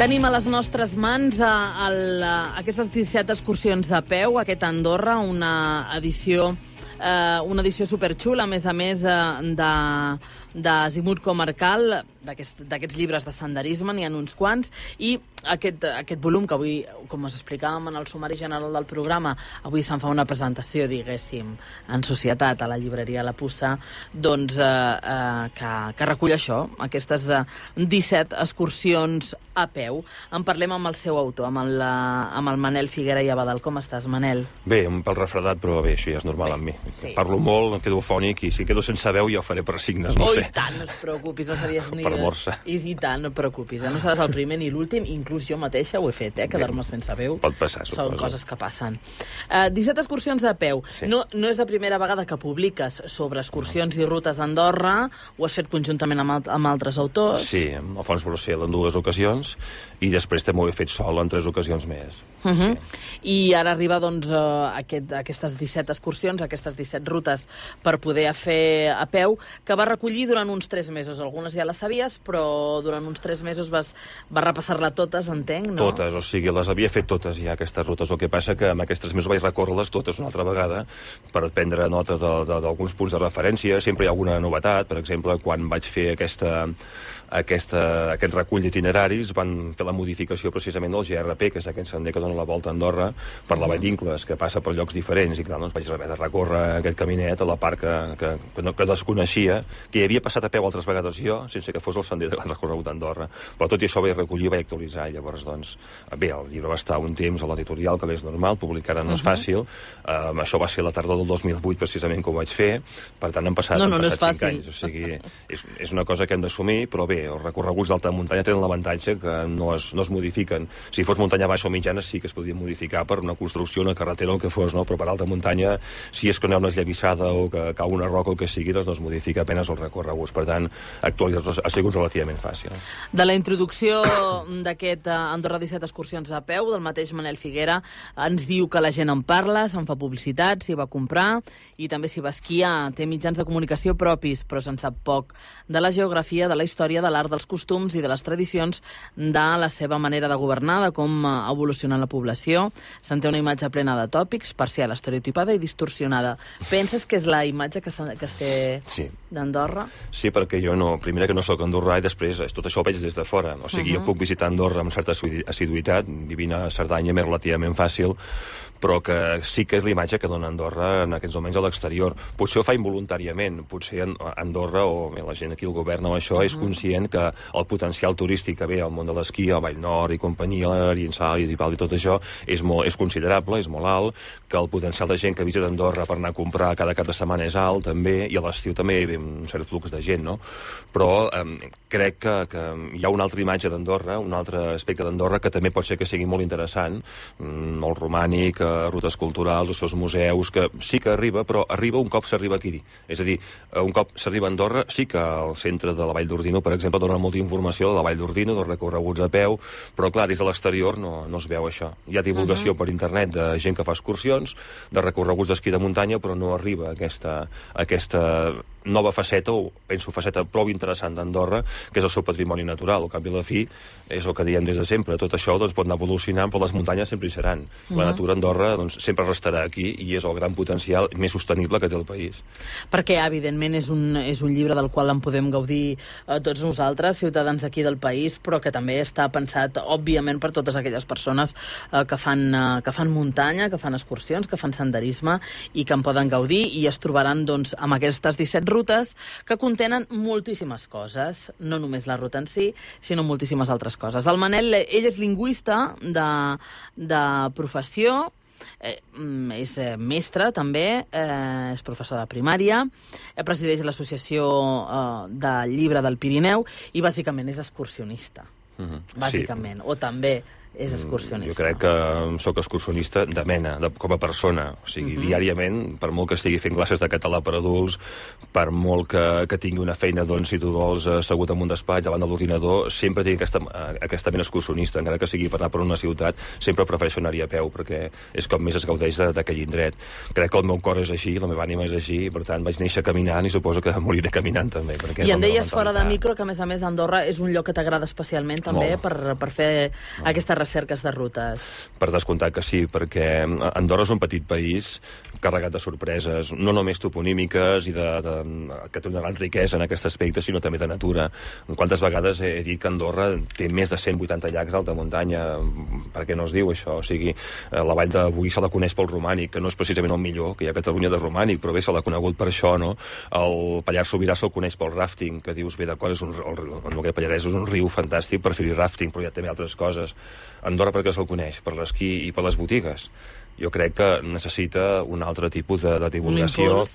Tenim a les nostres mans aquestes 17 excursions a peu, aquest Andorra, una edició superxula, a més, d'azimut comarcal, d'aquests llibres de senderisme, n'hi ha uns quants, i aquest volum que avui, com us explicàvem en el sumari general del programa, avui se'n fa una presentació, diguéssim, en societat a la llibreria La Puça, doncs que recull això, aquestes 17 excursions a peu. En parlem amb el seu autor, amb el Manel Figuera i Abadal. Com estàs, Manel? Bé, un pèl refredat, però bé, això ja és normal amb mi. Sí. Parlo molt, em quedo afònic, i si quedo sense veu ja ho faré per signes, no sé. I tant, no et preocupis, no series ni... Per morsa. I tant, no et preocupis, no seràs el primer ni l'últim, inclús jo mateixa ho he fet, quedar-me sense veu. Pot passar, suposo. Són coses que passen. 17 excursions a peu. Sí. No és la primera vegada que publiques sobre excursions i rutes d'Andorra, ho has fet conjuntament amb altres autors. Sí, amb Alfons Brocel en 2 ocasions, i després també ho he fet sol en 3 ocasions més. Sí. I ara arriba, doncs, aquestes 17 excursions, aquestes 17 rutes per poder fer a peu, que va recollir durant uns 3 mesos. Algunes ja les sabies, però durant uns 3 mesos vas repassar-la totes, entenc, no? Totes, o sigui, les havia fet totes ja, aquestes rutes. El que passa que en aquests 3 mesos vaig recórrer-les totes una altra vegada per prendre nota d'alguns punts de referència. Sempre hi ha alguna novetat. Per exemple, quan vaig fer aquest recull d'itineraris, van fer la modificació precisament del GRP, que és aquest sender que dona la volta a Andorra per la Vall d'Incles, que passa per llocs diferents, i clar, doncs vaig haver de recórrer aquest caminet a la part que desconeixia, que hi havia passat a peu altres vegades jo, sense que fos el sender de gran recorregut d'Andorra. Però tot i això vaig recollir i vaig actualitzar, i llavors, doncs, bé, el llibre va estar un temps a l'editorial, que bé és normal, publicar no és fàcil. Això va ser la tardor del 2008, precisament, que ho vaig fer, per tant, han passat 5 anys. O sigui, és una cosa que hem d'assumir, però bé, els recorreguts d'alta muntanya tenen l'avantatge que no es modifiquen. Si fos muntanya baixa o mitjana sí que es podria modificar per una construcció, una carretera o el que fos, no? Però per alta muntanya, si és que no hi ha una esllavissada o que cau una roca o el que sigui, doncs no es modifica apenas els recorreguts. Per tant, actualitzar-los ha sigut relativament fàcil. De la introducció d'aquest Andorra 17 excursions a peu, del mateix Manel Figuera, ens diu que la gent en parla, se'n fa publicitat, s'hi va comprar, i també s'hi va esquiar. Té mitjans de comunicació propis, però se'n sap poc de la geografia, de la història, de l'art, dels costums i de les tradicions, de la seva manera de governar, de com evoluciona la població. Se'n té una imatge plena de tòpics, parcial, estereotipada i distorsionada. Penses que és la imatge que es té d'Andorra? Sí, perquè jo primera que no soc andorrà, i després tot això ho veig des de fora. O sigui, jo puc visitar Andorra amb certa assiduïtat, vivint a Cerdanya m'és relativament fàcil, però que sí que és la imatge que dona Andorra en aquests moments a l'exterior. Potser ho fa involuntàriament, potser Andorra o la gent aquí al govern o això és conscient que el potencial turístic que ve al món de l'esquí, a Vall Nord i companyia, l'Ariensal i Dipal i tot això és considerable, és molt alt, que el potencial de gent que visita Andorra per anar a comprar cada cap de setmana és alt també, i a l'estiu també hi ha un cert flux de gent, no? Però crec que hi ha una altra imatge d'Andorra, un altre aspecte d'Andorra que també pot ser que sigui molt interessant, molt romànic, rutes culturals, els seus museus, que sí que arriba, però arriba un cop s'arriba aquí. És a dir, un cop s'arriba a Andorra, sí que al centre de la Vall d'Ordino, per exemple, dona molta informació de la Vall d'Ordino, dels recorreguts a peu, però clar, des de l'exterior no es veu això. Hi ha divulgació per internet de gent que fa excursions, de recorreguts d'esquí de muntanya, però no arriba aquesta nova faceta, o penso faceta prou interessant d'Andorra, que és el seu patrimoni natural. Al cap i a la fi, és el que diem des de sempre. Tot això pot anar evolucionant, però les muntanyes sempre hi seran. La natura d'Andorra sempre restarà aquí, i és el gran potencial més sostenible que té el país. Perquè, evidentment, és un llibre del qual en podem gaudir tots nosaltres, ciutadans d'aquí del país, però que també està pensat, òbviament, per totes aquelles persones que fan muntanya, que fan excursions, que fan senderisme, i que en poden gaudir, i es trobaran, doncs, amb aquestes 17 rutes que contenen moltíssimes coses, no només la ruta en si, sinó moltíssimes altres coses. El Manel, ell és lingüista de professió, és mestre també, és professor de primària, presideix l'associació del llibre del Pirineu i bàsicament és excursionista. Bàsicament, o també és excursionista. Jo crec que sóc excursionista de mena, com a persona. O sigui, diàriament, per molt que estigui fent classes de català per adults, per molt que tingui una feina, doncs, si tu vols, assegut en un despatx davant de l'ordinador, sempre tinc aquesta mena excursionista. Encara que sigui per anar per una ciutat, sempre prefereixo anar-hi a peu, perquè és com més es gaudeix d'aquell indret. Crec que el meu cor és així, la meva ànima és així, i per tant vaig néixer caminant i suposo que moriré caminant també. I em deies fora de micro que, a més, Andorra és un lloc que t'agrada especialment també per fer aquestes recerques de rutes. Per descomptat que sí, perquè Andorra és un petit país carregat de sorpreses, no només toponímiques i que té una gran riquesa en aquest aspecte, sinó també de natura. Quantes vegades he dit que Andorra té més de 180 llacs d'alta muntanya? Per què no es diu això? O sigui, la vall de Boí se la coneix pel romànic, que no és precisament el millor que hi ha a Catalunya de romànic, però bé, se l'ha conegut per això, no? El Pallars Sobirà se'l coneix pel rafting, que dius, bé, d'acord, el Noguera Pallarès és un riu fantàstic per fer-hi rafting, però hi ha també altres coses. Andorra per què se'l coneix? Per l'esquí i per les botigues. Jo crec que necessita un altre tipus de divulgació,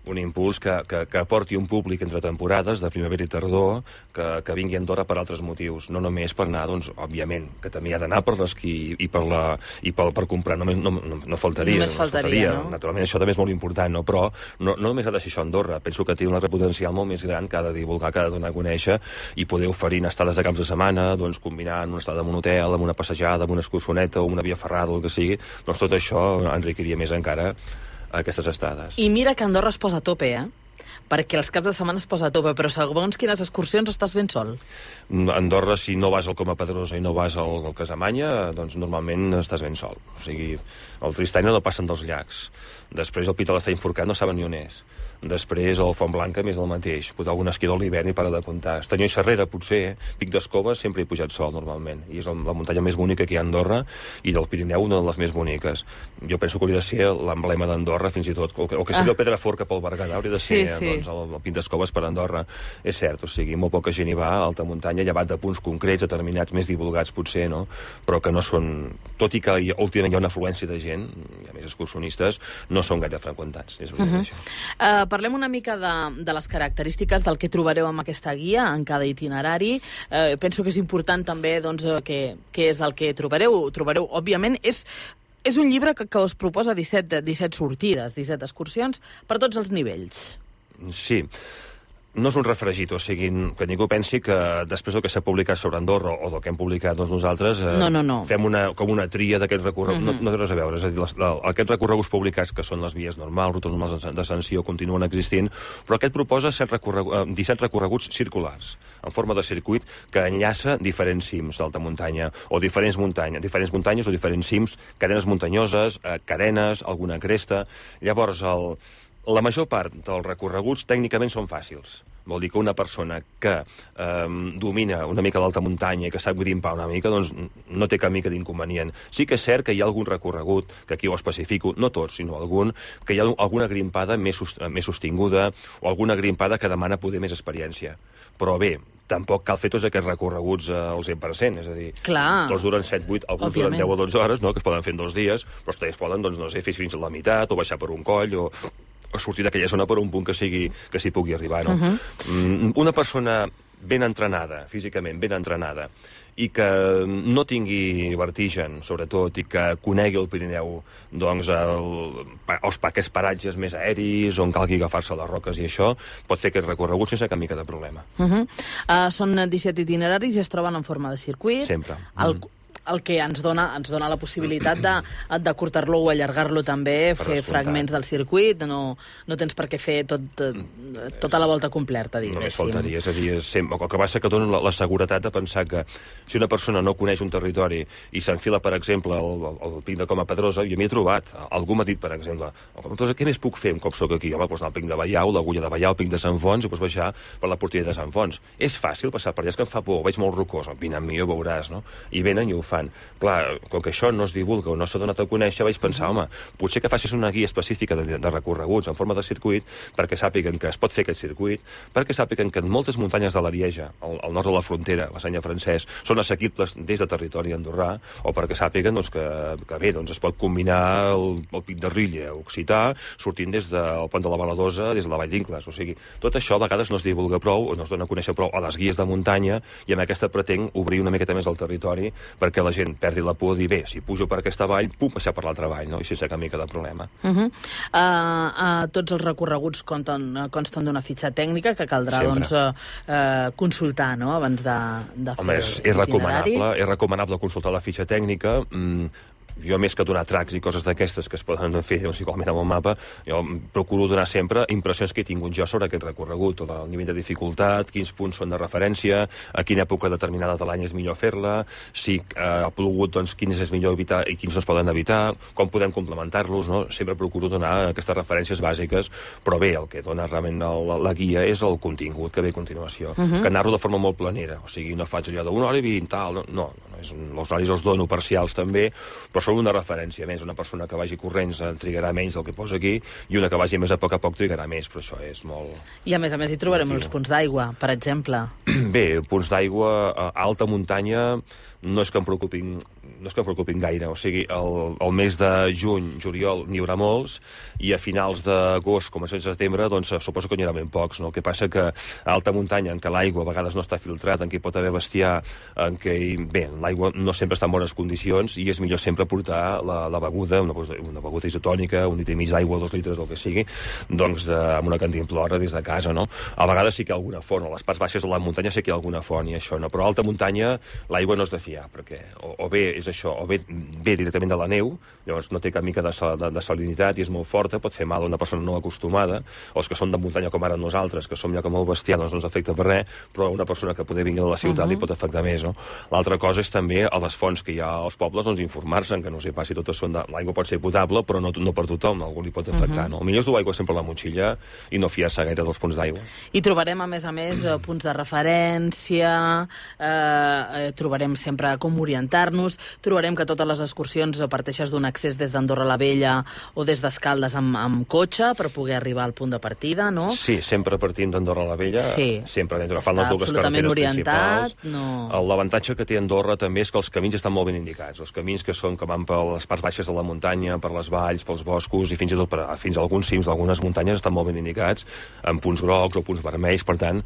un impuls que aporti un públic entre temporades, de primavera i tardor, que vingui a Andorra per altres motius, no només per anar, doncs, òbviament, que també hi ha d'anar per l'esquí i per comprar, no faltaria. No? Naturalment, això també és molt important, no? Però no només ha de ser això Andorra. Penso que té un potencial molt més gran que ha de divulgar, que ha de donar a conèixer i poder oferir estades de caps de setmana, doncs, combinant una estada en un hotel, amb una passejada, amb una excursioneta o una via ferrada, o el que sigui, doncs tot això enriquiria més encara aquestes estades. I mira que Andorra es posa a tope, perquè els caps de setmana es posa a tope, però segons quines excursions estàs ben sol. Andorra, si no vas al Coma Pedrosa i no vas al Casamanya, doncs normalment estàs ben sol. O sigui, el Tristany no passen dels llacs. Després el Pi de l'Estany Forcat no saben ni on és. Després el Font Blanca més del mateix. Pot algun esquí de l'hivern i para de comptar. Estanyó i Xerrera, potser. Pic d'Escoves sempre he pujat sol, normalment. I és la muntanya més bonica que hi ha a Andorra i del Pirineu una de les més boniques. Jo penso que hauria de ser l'emblema d'Andorra, fins i tot. O que sigui el Pedrafort cap al Berguedà, hauria de ser doncs, el Pic d'Escoves per Andorra. És cert, o sigui, molt poca gent hi va a alta muntanya, llevat de punts concrets, determinats, més divulgats, potser, no? Però que no són... Tot i que últimament hi ha una afluència de gent, hi ha més excursionistes, no són gaire freqüentats. És veritat, això. Parlem una mica de les característiques del que trobareu en aquesta guia, en cada itinerari. Penso que és important també doncs, què és el que trobareu. Trobareu, òbviament, és un llibre que us proposa 17 sortides, 17 excursions per tots els nivells. Sí. No és un refregit, o sigui, que ningú pensi que després del que s'ha publicat sobre Andorra o del que hem publicat doncs, nosaltres fem com una tria d'aquest recorregut. No té res a veure. És a dir, aquests recorreguts publicats, que són les vies normals, rutes normals d'ascensió, continuen existint, però aquest proposa 17 recorreguts circulars, en forma de circuit, que enllaça diferents cims d'alta muntanya, o diferents muntanyes o diferents cims, cadenes muntanyoses, carenes, alguna cresta. Llavors, la major part dels recorreguts tècnicament són fàcils. Vol dir que una persona que domina una mica l'alta muntanya i que sap grimpar una mica, doncs no té cap mica d'inconvenient. Sí que és cert que hi ha algun recorregut, que aquí ho especifico, no tots, sinó algun, que hi ha alguna grimpada més sostinguda o alguna grimpada que demana poder més experiència. Però bé, tampoc cal fer tots aquests recorreguts al 100%, és a dir, tots duren 7-8, alguns duren 10 o 12 hores, no?, que es poden fer en 2 dies, però també es poden, doncs, no sé, fer fins a la meitat, o baixar per un coll, o sortir d'aquella zona per un punt que s'hi pugui arribar, no? Una persona ben entrenada, físicament ben entrenada, i que no tingui vertigen, sobretot, i que conegui el Pirineu, doncs, aquests paratges més aeris, on calgui agafar-se a les roques i això, pot fer aquest recorregut sense cap mica de problema. Són 17 itineraris i es troben en forma de circuit. Sempre. El que ens dona la possibilitat d'acurtar-lo o allargar-lo també, fer fragments del circuit, no tens per què fer tota la volta completa, diguéssim. Només faltaria, és a dir, el que passa que dona la seguretat de pensar que si una persona no coneix un territori i s'enfila, per exemple, al Pic de Coma Pedrosa, jo m'hi he trobat, algú m'ha dit, per exemple, què més puc fer un cop soc aquí? Home, doncs anar al Pic de Ballau, l'Agulla de Ballau, el Pic de Sant Fons, i doncs baixar per la Portella de Sant Fons. És fàcil passar per allà, és que em fa por, veig molt rocós, vine amb mi, ho veuràs, no? I venen i ho fan. Clar, com que això no es divulga o no s'ha donat a conèixer, vaig pensar, home, potser que facis una guia específica de recorreguts en forma de circuit perquè sàpiguen que es pot fer aquest circuit, perquè sàpiguen que en moltes muntanyes de l'Arieja, al nord de la frontera, la Senya Francès, són assequibles des de territori andorrà, o perquè sàpiguen doncs, que bé, doncs, es pot combinar el Pic de Rilla occità sortint des del Pont de la Baladosa, des de la Vall d'Incles. O sigui, tot això a vegades no es divulga prou o no es dona a conèixer prou a les guies de muntanya, i amb aquesta pretenc obrir una miqueta més el territori perquè la gent perdi la por de dir, bé, si pujo per aquesta vall, puc passar per l'altra vall, no? I sense cap mica de problema. Tots els recorreguts consten d'una fitxa tècnica que caldrà consultar, no?, abans de fer l'itinerari. És recomanable consultar la fitxa tècnica. Jo, més que donar tracks i coses d'aquestes que es poden fer igualment amb el mapa, jo procuro donar sempre impressions que he tingut jo sobre aquest recorregut, el nivell de dificultat, quins punts són de referència, a quina època determinada de l'any és millor fer-la, si ha plogut, doncs quins és millor evitar i quins no es poden evitar, com podem complementar-los, no? Sempre procuro donar aquestes referències bàsiques, però bé, el que dona realment la guia és el contingut que ve a continuació, que narro de forma molt planera, o sigui, no faig allò d'una hora i 20, tal, no, els horaris els dono parcials també, però són una referència més. Una persona que vagi corrents trigarà menys del que posa aquí i una que vagi més a poc trigarà més, però això és molt... I a més hi trobarem els punts d'aigua, per exemple. Bé, punts d'aigua a alta muntanya no és que em preocupin gaire. O sigui, el mes de juny, juliol, n'hi haurà molts, i a finals d'agost, començaments de setembre, doncs suposo que n'hi haurà ben pocs, no? El que passa que a alta muntanya, en què l'aigua a vegades no està filtrat, en què hi pot haver bestiar, en què, bé, l'aigua no sempre està en bones condicions, i és millor sempre portar la beguda, una beguda isotònica, un litre i mig d'aigua, 2 litres, del que sigui, doncs amb una cantimplora des de casa, no? A vegades sí que hi ha alguna font, a les parts baixes de la muntanya sí que hi ha alguna font i això, no? Però a alta muntanya l'aigua no és de fiar, perquè o bé és això, o bé ve directament de la neu, llavors no té cap mica de salinitat i és molt forta, pot fer mal a una persona no acostumada, o els que són de muntanya com ara nosaltres, que som ja com el bestiar, doncs no ens afecta per res, però una persona que poder vingui de la ciutat li pot afectar més, no? L'altra cosa és també a les fonts que hi ha als pobles, doncs informar-se, que no sé pas si totes són l'aigua pot ser potable, però no per tothom, a algú li pot afectar, no? El millor és dur aigua sempre a la motxilla i no fiar-se gaire dels punts d'aigua. I trobarem, a més, punts de referència, trobarem sempre com orientar-nos, trobarem que totes les excursions parteixes d'un accés des d'Andorra la Vella o des d'Escaldes amb cotxe per poder arribar al punt de partida, no? Sí, sempre partint d'Andorra la Vella, sempre agafant les dues carreteres principals. L'avantatge que té Andorra també és que els camins estan molt ben indicats. Els camins que van per les parts baixes de la muntanya, per les valls, pels boscos i fins i tot fins a alguns cims d'algunes muntanyes estan molt ben indicats, amb punts grocs o punts vermells, per tant,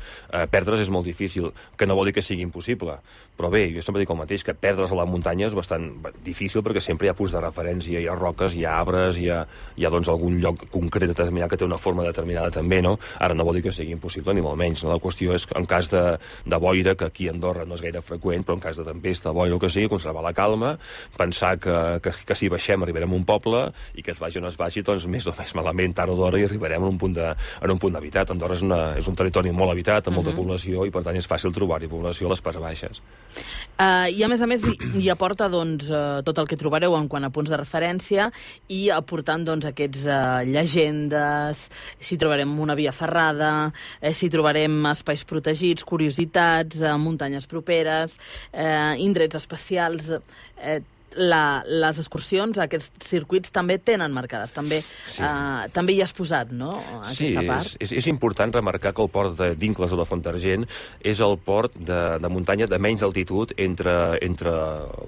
perdre's és molt difícil, que no vol dir que sigui impossible. Però bé, jo sempre dic el mateix, que perdre's a la muntanya és bastant difícil perquè sempre hi ha punts de referència, hi ha roques, hi ha arbres, hi ha doncs algun lloc concret determinat que té una forma determinada també, no? Ara no vol dir que sigui impossible, ni molt menys, no? La qüestió és que en cas de boira, que aquí a Andorra no és gaire freqüent, però en cas de tempesta, boira o que sigui, conservar la calma, pensar que si baixem arribarem a un poble i que es vagi o no es vagi, doncs més o més malament, tard o d'hora, i arribarem en un punt d'habitat. Andorra és un territori molt habitat, amb molta població, i per tant és fàcil trobar-hi població a les parts baixes. I a més, hi aporta tot el que trobareu en quant a punts de referència i aportant aquests llegendes, si trobarem una via ferrada, si trobarem espais protegits, curiositats, muntanyes properes, indrets especials. Les excursions, aquests circuits també tenen marcades, també hi has posat, no?, aquesta part. Sí, és important remarcar que el port de Vincles o de Fontargent és el port de muntanya de menys altitud entre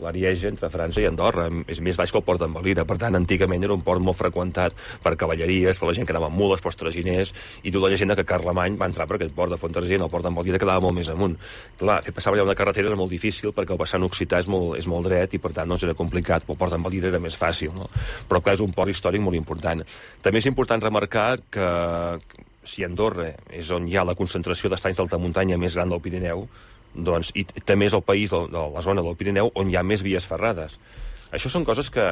l'Arieja, entre França i Andorra. És més baix que el port d'Envalira, per tant, antigament era un port molt freqüentat per cavalleries, per la gent que anava amb mules, pels traginers, i diu la llegenda que Carlemany va entrar per aquest port de Fontargent, el port d'Envalira quedava molt més amunt. Clar, fer passar allà una carretera era molt difícil perquè el vessant occità és molt dret i per tant no era complicat, el port d'Envalira era més fàcil, no? Però clar, és un port històric molt important. També és important remarcar que si Andorra és on hi ha la concentració d'estanys d'alta muntanya més gran del Pirineu, doncs, i també és el país de la zona del Pirineu on hi ha més vies ferrades. Això són coses que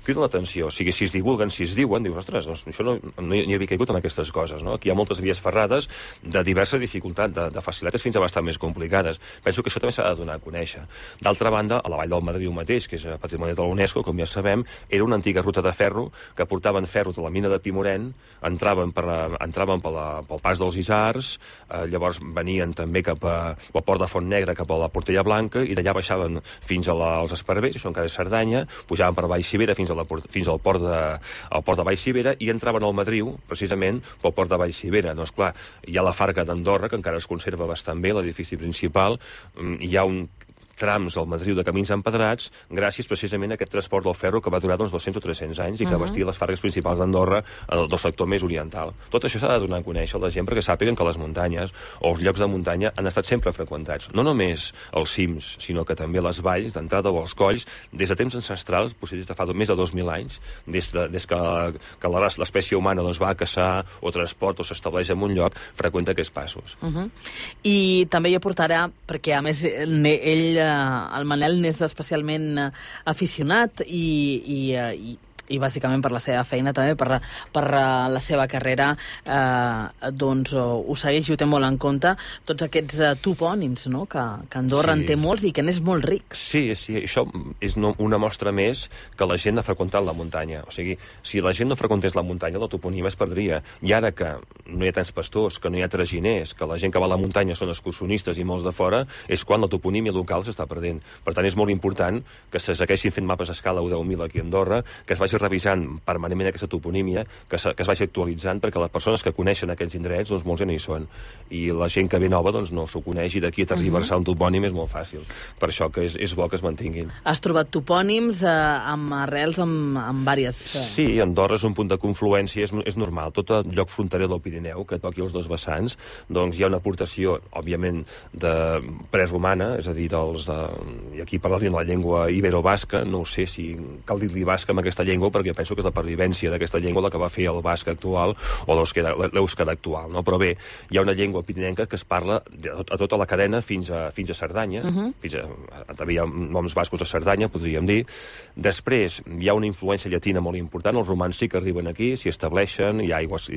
criden l'atenció. O sigui, si es divulguen, si es diuen, dius, ostres, doncs això no hi havia caigut en aquestes coses, no? Aquí hi ha moltes vies ferrades de diversa dificultat, de facilitats fins a bastant més complicades. Penso que això també s'ha de donar a conèixer. D'altra banda, a la Vall del Madriu mateix, que és patrimoni de l'UNESCO, com ja sabem, era una antiga ruta de ferro que portaven ferro de la mina de Pimorent, entraven pel pas dels Isars, llavors venien també cap al port de Fontnegra, cap a la Portella Blanca, i d'allà baixaven fins als Esparvers, això encara és Cerdanya, pujaven per Vallcivera fins al port de Vallcivera i entraven al Madriu, precisament, pel port de Vallcivera. Doncs clar, hi ha la Farga d'Andorra, que encara es conserva bastant bé, l'edifici principal, hi ha trams al Madriu de camins empedrats gràcies precisament a aquest transport del ferro que va durar 200 o 300 anys i que abastia les fargues principals d'Andorra del sector més oriental. Tot això s'ha de donar a conèixer a la gent perquè sàpiguen que les muntanyes o els llocs de muntanya han estat sempre freqüentats. No només els cims, sinó que també les valls d'entrada o els colls, des de temps ancestrals, potser des de fa més de 2.000 anys, des que l'espècie humana va a caçar o transport o s'estableix en un lloc, freqüenta aquests passos. I també hi aportarà, perquè a més ell, el Manel, n'és especialment aficionat i bàsicament per la seva feina també, per la seva carrera, doncs ho segueix i ho té molt en compte, tots aquests topònims, no?, que Andorra en té molts i que n'és molt ric. Sí, això és una mostra més que la gent ha freqüentat la muntanya. O sigui, si la gent no freqüentés la muntanya, la toponímia es perdria. I ara que no hi ha tants pastors, que no hi ha traginers, que la gent que va a la muntanya són excursionistes i molts de fora, és quan la toponímia local s'està perdent. Per tant, és molt important que se segueixin fent mapes a escala 1/10.000 aquí a Andorra, que es vagi revisant permanentment aquesta toponímia, que es vagi actualitzant, perquè les persones que coneixen aquests indrets, doncs molts ja no hi són. I la gent que ve nova doncs no s'ho coneix i d'aquí a tergiversar un topònim és molt fàcil. Per això que és bo que es mantinguin. Has trobat topònims amb arrels amb diverses... Sí, Andorra és un punt de confluència, és normal. Tot el lloc fronterer del Pirineu, que toqui els dos vessants, doncs hi ha una aportació, òbviament, de preromana, és a dir, i aquí parlarien la llengua ibero-basca, no ho sé si cal dir-li basca amb aquesta llengua, perquè penso que és la pervivència d'aquesta llengua la que va fer el basc actual o l'èuscar actual, no? Però bé, hi ha una llengua pirinenca que es parla a tota la cadena fins a Cerdanya, també hi ha noms bascos a Cerdanya, podríem dir. Després hi ha una influència llatina molt important, els romans sí que arriben aquí, s'hi estableixen, hi ha aigües,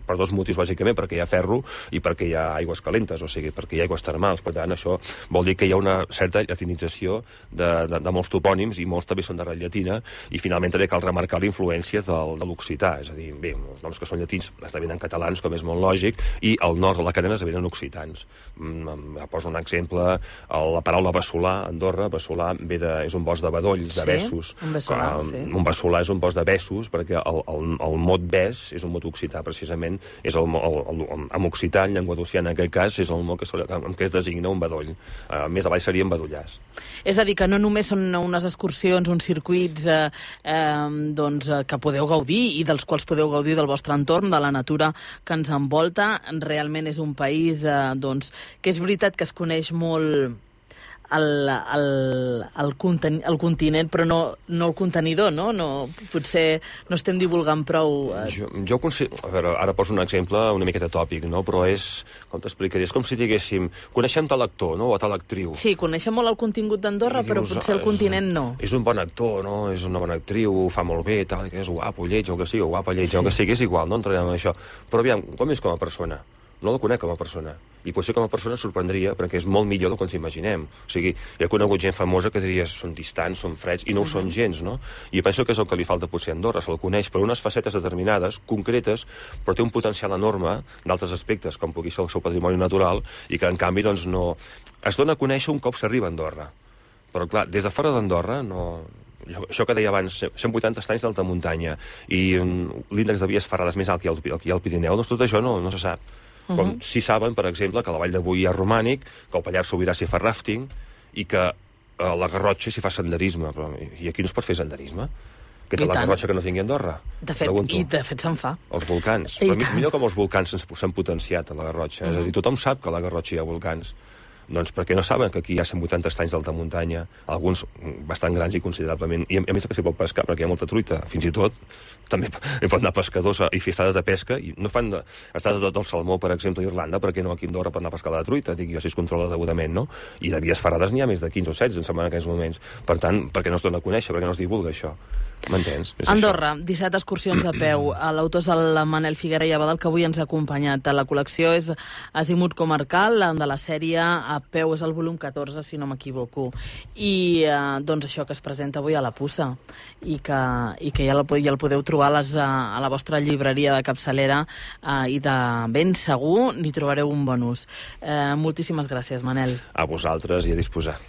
per dos motius bàsicament, perquè hi ha ferro i perquè hi ha aigües calentes, o sigui, perquè hi ha aigües termals. Per tant, això vol dir que hi ha una certa latinització de molts topònims i molts també són d'arrel llatina, i finalment també cal remarcar la influència de l'occità, és a dir, bé, els noms que són llatins esdevenen catalans, com és molt lògic, i al nord de la cadena esdevenen occitans. Poso un exemple, la paraula bassolar, Andorra, bassolar és un bosc de bedolls, de bessos. Un bassolar és un bosc de bessos, perquè el mot bes és un mot occità, precisament, en occità, en llengua d'occità, en aquest cas, és el mot amb què es designa un bedoll. Més avall serien bedollars. És a dir, que no només són unes excursions, uns circuits que podeu gaudir i dels quals podeu gaudir del vostre entorn, de la natura que ens envolta. Realment és un país que és veritat que es coneix molt el continent, però no el contenidor, no? Potser no estem divulgant prou... Jo considero... A veure, ara poso un exemple una miqueta tòpic, no? Però és, com t'explicaria, és com si diguéssim, coneixem tal actor, no?, o tal actriu. Sí, coneixem molt el contingut d'Andorra, però potser el continent no. És un bon actor, no?, és una bona actriu, ho fa molt bé, tal, que és guapo, lleig, o que sigui, o guapa, lleig, o que sigui, és igual, no entrarem en això. Però aviam, com és com a persona? No la conec com a persona. I potser com a persona sorprendria, perquè és molt millor del que ens imaginem. O sigui, hi ha conegut gent famosa que diries són distants, són freds, i no ho són gens, no? I penso que és el que li falta potser a Andorra, se'l coneix per unes facetes determinades, concretes, però té un potencial enorme d'altres aspectes, com pugui ser el seu patrimoni natural, i que, en canvi, doncs, no... Es dona a conèixer un cop s'arriba a Andorra. Però, clar, des de fora d'Andorra, no... Això que deia abans, 180 estanys d'alta muntanya i l'índex de vies ferrades més alt que hi ha al Pirineu, doncs tot això no se sap. Com si saben, per exemple, que la Vall de Boí hi ha romànic, que el Pallars Sobirà s'hi fa ràfting i que a la Garrotxa s'hi fa senderisme. I aquí no es pot fer senderisme? Que té la Garrotxa que no tingui Andorra? De fet se'n fa. Els volcans. Però millor com els volcans s'han potenciat a la Garrotxa. És a dir, tothom sap que a la Garrotxa hi ha volcans. Doncs perquè no saben que aquí hi ha 180 estanys d'alta muntanya, alguns bastant grans i considerablement, i a més que s'hi pot pescar perquè hi ha molta truita, fins i tot també hi poden anar pescadors i fer estades de pesca, i no fan estades del salmó, per exemple, a Irlanda, perquè no aquí a Andorra per anar a pescar la truita, dic jo, si es controla degudament, no? I de vies ferrades n'hi ha més de 15 o 16, em sembla, en aquests moments. Per tant, per què no es dona a conèixer, per què no es divulga això? M'entens? Andorra, 17 excursions a peu. L'autor és el Manel Figuera i Abadal, que avui ens ha acompanyat. La col·lecció és Azimut Comarcal, de la sèrie A peu, és el volum 14, si no m'equivoco. I doncs això que es presenta avui a la Puça, i que ja el podeu trobar a la vostra llibreria de capçalera, i de ben segur n'hi trobareu un bon ús. Moltíssimes gràcies, Manel. A vosaltres i a disposar.